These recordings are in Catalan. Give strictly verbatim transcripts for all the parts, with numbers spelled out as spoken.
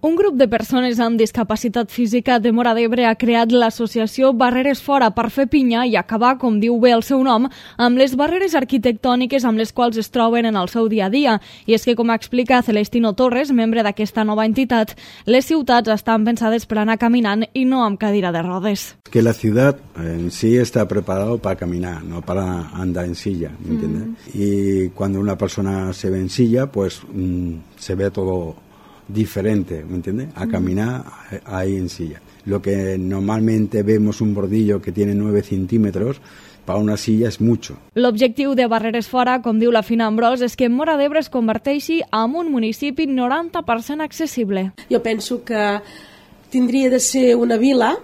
Un grup de persones amb discapacitat física de Móra d'Ebre ha creat l'associació Barreres Fora per fer pinya i acabar, com diu bé el seu nom, amb les barreres arquitectòniques amb les quals es troben en el seu dia a dia. I és que, com explica Celestino Torres, membre d'aquesta nova entitat, les ciutats estan pensades per anar caminant i no amb cadira de rodes. Que la ciudad en sí está preparado para caminar, no para andar en silla, ¿me entiendes? Mm. Y cuando una persona se ve en silla, pues mmm, se ve todo diferente, ¿me entiendes? A caminar ahí en silla. Lo que normalmente vemos un bordillo que tiene nueve centímetros, para una silla és mucho. L'objectiu de Barreres Fora, com diu la Fina Ambrós, és que Móra d'Ebre es converteixi en un municipi noranta per cent accessible. Jo penso que tindria de ser una vila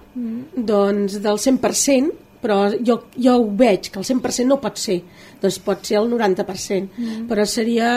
doncs, del cent per cent, però jo, jo ho veig, que el cent per cent no pot ser, doncs pot ser el noranta per cent, mm. però seria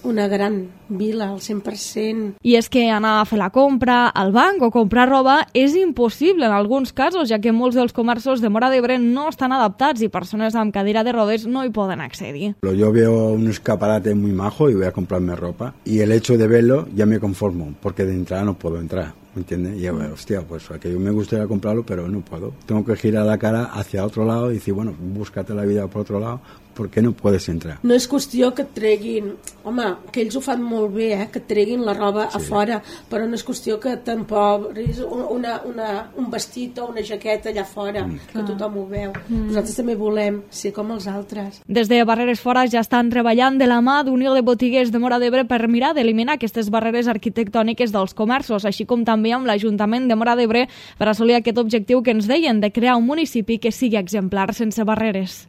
una gran vila, al cent per cent. I és que anar a fer la compra al banc o comprar roba és impossible en alguns casos, ja que molts dels comerços de Móra d'Ebre no estan adaptats i persones amb cadira de rodes no hi poden accedir. Yo veo un escaparate muy majo y voy a comprarme ropa y el hecho de verlo ya me conformo, porque de entrada no puedo entrar. ¿Me entiendes? Y yo, hostia, pues a que yo me gustaría comprarlo, pero no puedo. Tengo que girar la cara hacia otro lado y decir, bueno, búscate la vida por otro lado, perquè no podes entrar. No és qüestió que et treguin, home, que ells ho fan molt bé, eh, que et treguin la roba sí. a fora, però no és qüestió que t'empobris una, una, un vestit o una jaqueta allà fora, mm. que tothom ho veu. Mm. Nosaltres també volem ser com els altres. Des de Barreres Fora ja estan treballant de la mà d'Unió de Botiguers de Móra d'Ebre per mirar d'eliminar aquestes barreres arquitectòniques dels comerços, així com també amb l'Ajuntament de Móra d'Ebre per assolir aquest objectiu que ens deien de crear un municipi que sigui exemplar sense barreres.